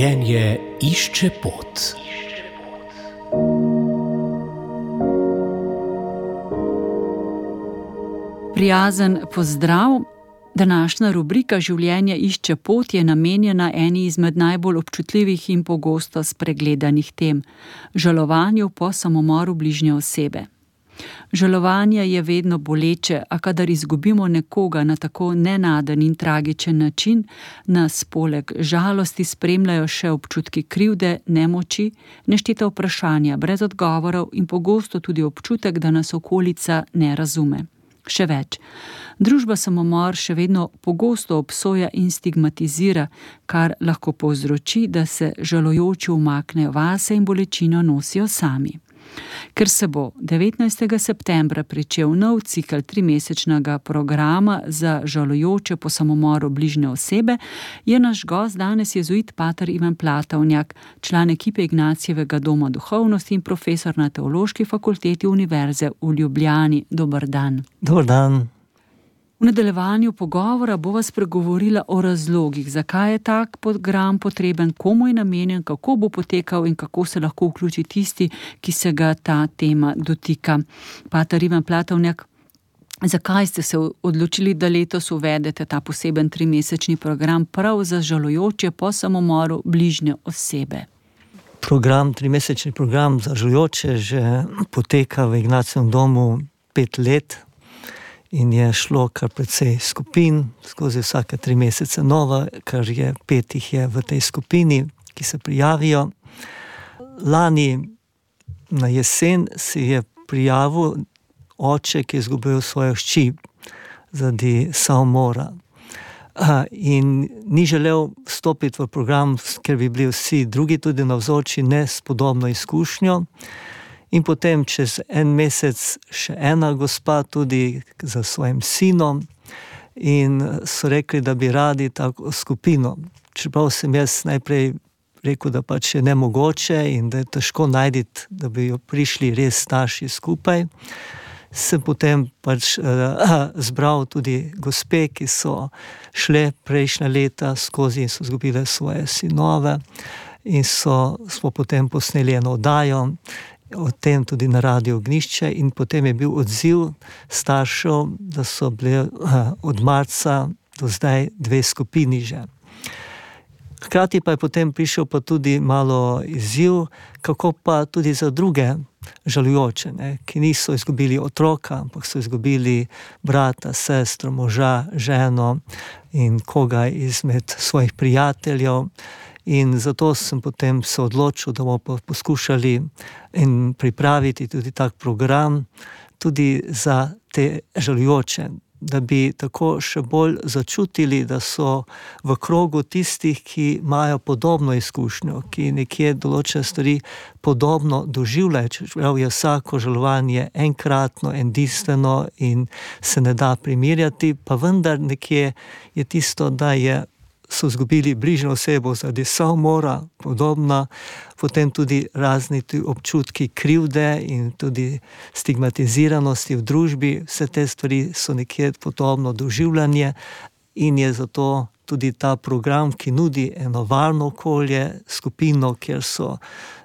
Življenje išče pot. Prijazen pozdrav. Današnja rubrika Življenje išče pot je namenjena eni izmed najbolj občutljivih in pogosto spregledanih tem – žalovanju po samomoru bližnje osebe. Žalovanje je vedno boleče, a kadar izgubimo nekoga na tako nenaden in tragičen način, nas poleg žalosti spremljajo še občutki krivde, nemoči, nešteta vprašanja brez odgovorov in pogosto tudi občutek, da nas okolica ne razume. Še več, družba samomor še vedno pogosto obsoja in stigmatizira, kar lahko povzroči, da se žalujoči umaknejo vase in bolečino nosijo sami. Ker se bo 19. septembra pričel nov cikel 3-mesečnega programa za žalujoče po samomoru bližnje osebe, je naš gost danes jezuit pater Ivan Platovnjak, član ekipe Ignacijevega doma duhovnosti in profesor na Teološki fakulteti Univerze v Ljubljani. Dober dan. Dober dan. V nadaljevanju pogovora bova spregovorila o razlogih, zakaj je tak program potreben, komu je namenjen, kako bo potekal in kako se lahko vključi tisti, ki se ga ta tema dotika. Pater Ivan Platovnjak, zakaj ste se odločili, da letos uvedete ta poseben 3-mesečni program prav za žalujoče po samomoru bližnje osebe? 3-mesečni program za žalujoče že poteka v Ignacijevem domu 5 let. In je šlo kar precej skupin, skozi vsake 3 mesece nova, kar je 5 jih je v tej skupini, ki se prijavijo. Lani na jesen se je prijavil oče, ki je izgubil svojo hči zaradi samomora. In ni želel vstopiti v program, ker bi bili vsi drugi tudi navzoči, ne s podobno izkušnjo. In potem čez 1 mesec še ena gospa tudi za svojim sinom in so rekli, da bi radi tako skupino. Čeprav sem jaz najprej rekel, da pač je nemogoče in da je težko najti, da bi jo prišli res starši skupaj, sem potem pač zbral tudi gospe, ki so šle prejšnja leta skozi in so izgubile svoje sinove in smo potem posneli eno oddajo o tem tudi na Radiu Ognjišče in potem je bil odziv staršev, da so bile od marca do zdaj 2 skupini že. Hkrati pa je potem prišel pa tudi malo izziv, kako pa tudi za druge žalujoče, ki niso izgubili otroka, ampak so izgubili brata, sestro, moža, ženo in koga izmed svojih prijateljev. In zato sem potem se odločil, da bomo poskušali in pripraviti tudi tak program tudi za te žalujoče, da bi tako še bolj začutili, da so v krogu tistih, ki imajo podobno izkušnjo, ki nekje določene stvari podobno doživljajo, čeprav je vsako žalovanje enkratno, edinstveno in se ne da primerjati, pa vendar nekje je tisto, da so izgubili bližnjo osebo zaradi samomora, podobna, potem tudi razni občutki krivde in tudi stigmatiziranosti v družbi, vse te stvari so nekje podobno doživljanje in je zato tudi ta program, ki nudi eno varno okolje, skupino, kjer so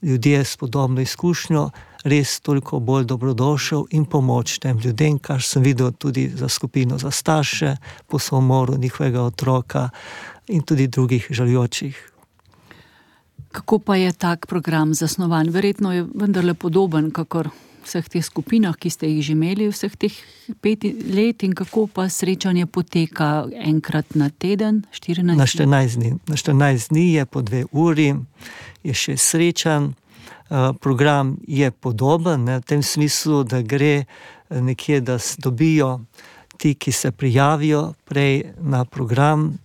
ljudje s podobno izkušnjo, res toliko bolj dobrodošel in pomoč tem ljudem, kar sem videl tudi za skupino za starše po samomoru njihovega otroka in tudi drugih žalujočih. Kako pa je tak program zasnovan? Verjetno je vendarle podoben, kakor vseh teh skupinah, ki ste jih že imeli vseh teh 5 let in kako pa srečanje poteka enkrat na teden, 14 Na 14 dni. Na 14 dni je po 2 uri, je 6 srečanj. Program je podoben, v tem smislu, da gre nekje, da dobijo ti, ki se prijavijo prej na program,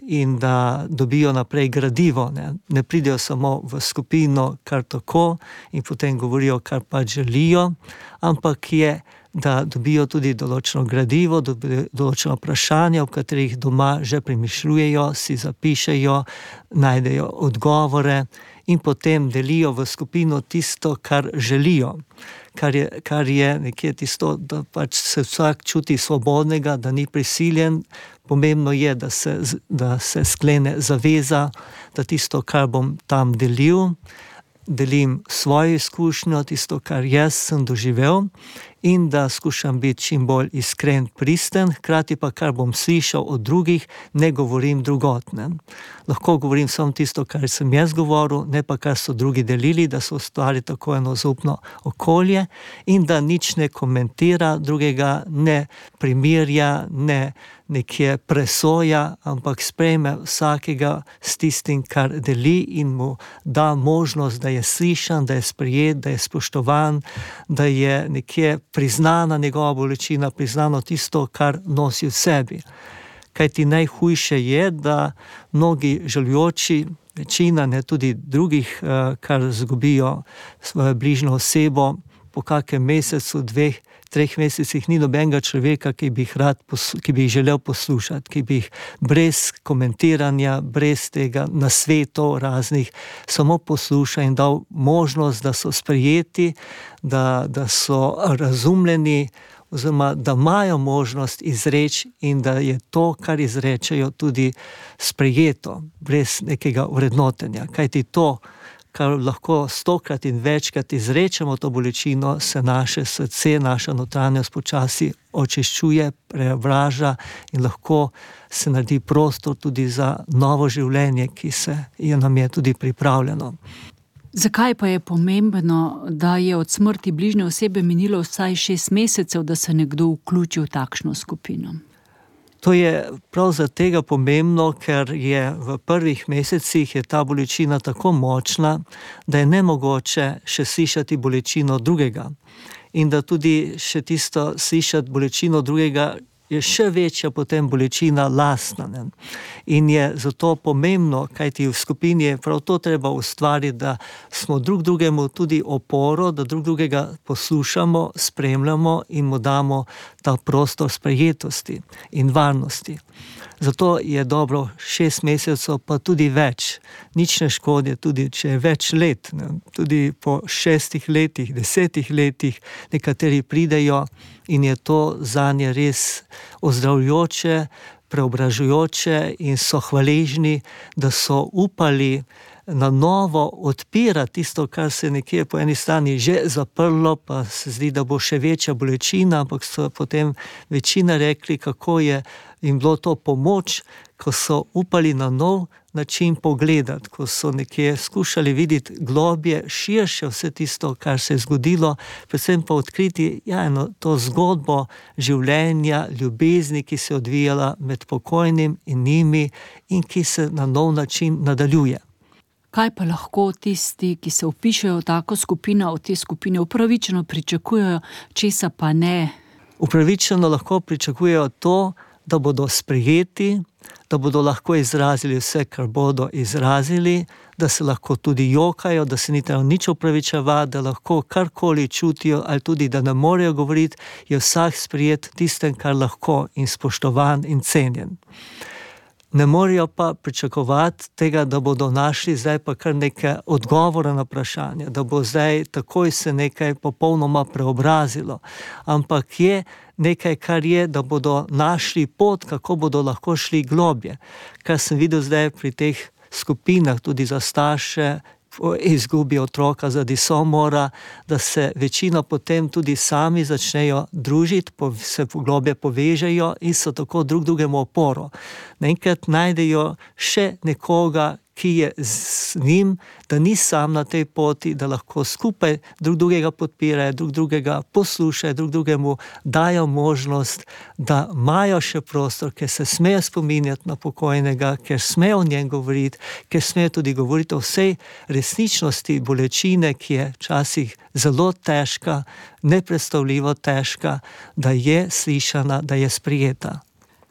in da dobijo naprej gradivo. Ne pridejo samo v skupino kar tako in potem govorijo, kar pač želijo, ampak je, da dobijo tudi določeno gradivo, določeno vprašanje, v katerih doma že premišljujejo, si zapišejo, najdejo odgovore in potem delijo v skupino tisto, kar želijo. kar je nekje tisto, da pač se vsak čuti svobodnega, da ni prisiljen. Pomembno je, da se sklene zaveza, da tisto, kar bom tam delim svojo izkušnjo, tisto, kar jaz sem doživel, in da skušam biti čim bolj iskren, pristen, hkrati pa, kar bom slišal od drugih, ne govorim drugot. Lahko govorim samo tisto, kar sem jaz govoril, ne pa kar so drugi delili, da so ustvarili tako eno zaupno okolje in da nič ne komentira drugega, ne primerja, ne nekje presoja, ampak sprejme vsakega s tistim, kar deli in mu da možnost, da je slišan, da je sprejet, da je spoštovan, da je nekje priznana njegova bolečina, priznano tisto, kar nosi v sebi. Kajti najhujše je, da mnogi žalujoči, večina, ne tudi drugih, kar zgubijo svojo bližnjo osebo, po kakem mesecu, 2-3 mesecih ni nobenega človeka, ki bi jih želel poslušati, ki bi jih brez komentiranja, brez tega nasvetov raznih, samo poslušal in dal možnost, da so sprejeti, da so razumljeni, oziroma da imajo možnost izreči in da je to, kar izrečejo, tudi sprejeto, brez nekega vrednotenja. Kajti to, kar lahko 100-krat in večkrat izrečemo to bolečino, se naše srce, naša notranjost počasi očiščuje, preobraža in lahko se naredi prostor tudi za novo življenje, ki nam je tudi pripravljeno. Zakaj pa je pomembno, da je od smrti bližnje osebe minilo vsaj 6 mesecev, da se nekdo vključi v takšno skupino? To je prav zaradi tega pomembno, ker je v prvih mesecih je ta bolečina tako močna, da je nemogoče še slišati bolečino drugega. In da tudi še tisto slišati bolečino drugega je še večja potem bolečina lastna. In je zato pomembno, kajti v skupini je prav to treba ustvariti, da smo drug drugemu tudi oporo, da drug drugega poslušamo, spremljamo in mu damo ta prostor sprejetosti in varnosti. Zato je dobro 6 mesecev, pa tudi več. Nič ne škodi, tudi če je več let, tudi po 6 letih, 10 letih nekateri pridejo in je to zanje res ozdravljajoče, preobražujoče in so hvaležni, da so upali na novo odpirati tisto, kar se nekje po eni strani že zaprlo, pa se zdi, da bo še večja bolečina, ampak so potem večina rekli, kako je jim bilo to pomoč, ko so upali na nov način pogledati, ko so nekje skušali videti globje, širše vse tisto, kar se je zgodilo, predvsem pa odkriti to zgodbo življenja, ljubezni, ki se je odvijala med pokojnim in njimi in ki se na nov način nadaljuje. Kaj pa lahko tisti, ki se vpišejo v tako skupino, od te skupine upravičeno pričakujejo, česa pa ne? Upravičeno lahko pričakujejo to, da bodo sprejeti, da bodo lahko izrazili vse, kar bodo izrazili, da se lahko tudi jokajo, da se ni treba nič opravičevati, da lahko karkoli čutijo, ali tudi, da ne morejo govoriti, je vsak sprejet tistem, kar lahko in spoštovan in cenjen. Ne morejo pa pričakovati tega, da bodo našli zdaj pa kar nekaj odgovora na vprašanje, da bo zdaj takoj se nekaj popolnoma preobrazilo, ampak je nekaj, kar je, da bodo našli pot, kako bodo lahko šli globje. Kar sem videl zdaj pri teh skupinah, tudi za starše, izgubi otroka zaradi samomora, da se večina potem tudi sami začnejo družiti, se globje povežejo in so tako drug drugemu oporo. Naenkrat najdejo še nekoga, ki je z njim, da ni sam na tej poti, da lahko skupaj drug drugega podpirajo, drug drugega poslušajo, drug drugemu dajo možnost, da imajo še prostor, ker se smejo spominjati na pokojnega, ker smejo o njem govoriti, ker smejo tudi govoriti o vsej resničnosti bolečine, ki je včasih zelo težka, nepredstavljivo težka, da je slišana, da je sprejeta.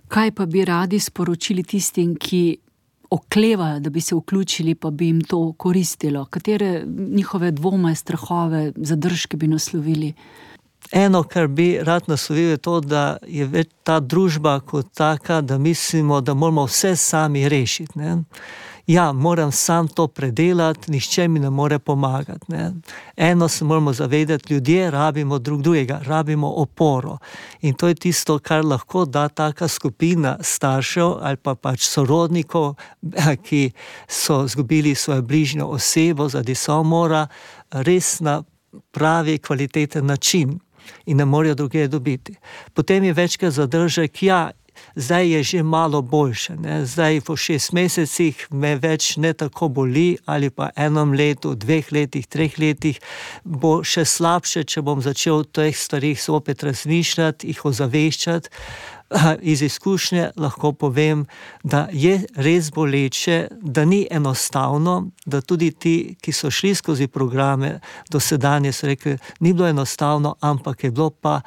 Kaj pa bi radi sporočili tistim, ki oklevajo, da bi se vključili, pa bi jim to koristilo? Katere njihove dvome, strahove, zadržke bi naslovili? Eno, kar bi rad naslovil, je to, da je več ta družba kot taka, da mislimo, da moramo vse sami rešiti. ja, moram sam to predelati, nihče mi ne more pomagati. Ne. Eno se moramo zavedati, ljudje rabimo drugega, rabimo oporo. In to je tisto, kar lahko da taka skupina staršev ali pa pač sorodnikov, ki so izgubili svojo bližnjo osebo zaradi samomora, res na pravi kvaliteten način in ne morejo druge dobiti. Potem je večkrat zadržek, ja, zdaj je že malo boljše, ne? Zdaj po 6 mesecih me več ne tako boli, ali pa 1 letu, 2 letih, 3 letih bo še slabše, če bom začel o teh stvarih opet razmišljati, jih ozaveščati. Iz izkušnje lahko povem, da je res boleče, da ni enostavno, da tudi ti, ki so šli skozi programe dosedanje, so rekli, ni bilo enostavno, ampak je bilo pa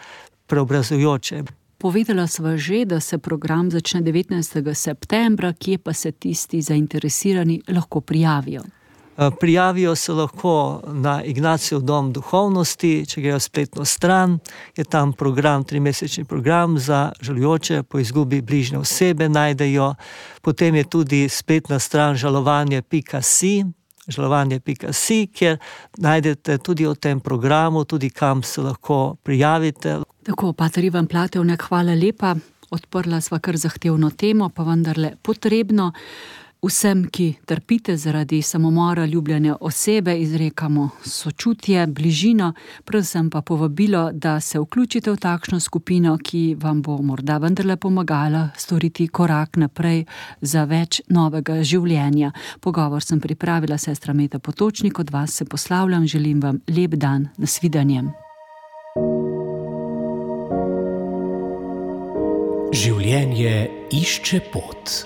preobrazujoče. Povedala sva že, da se program začne 19. septembra, kje pa se tisti zainteresirani lahko prijavijo? Prijavijo se lahko na Ignacijev dom duhovnosti, če grejo spletno stran, je tam program, 3-mesečni program za žalujoče po izgubi bližnje osebe najdejo, potem je tudi spletna stran žalovanje.si, kjer najdete tudi o tem programu, tudi kam se lahko prijavite. Tako, pater Ivan Platevnik, hvala lepa. Odprla sva kar zahtevno temo, pa vendarle potrebno. Vsem, ki trpite zaradi samomora ljubljene osebe, izrekamo sočutje, bližino, predvsem pa povabilo, da se vključite v takšno skupino, ki vam bo morda vendarle pomagala storiti korak naprej za več novega življenja. Pogovor sem pripravila sestra Meta Potočnik, od vas se poslavljam, želim vam lep dan, nasvidenje. Življenje išče pot.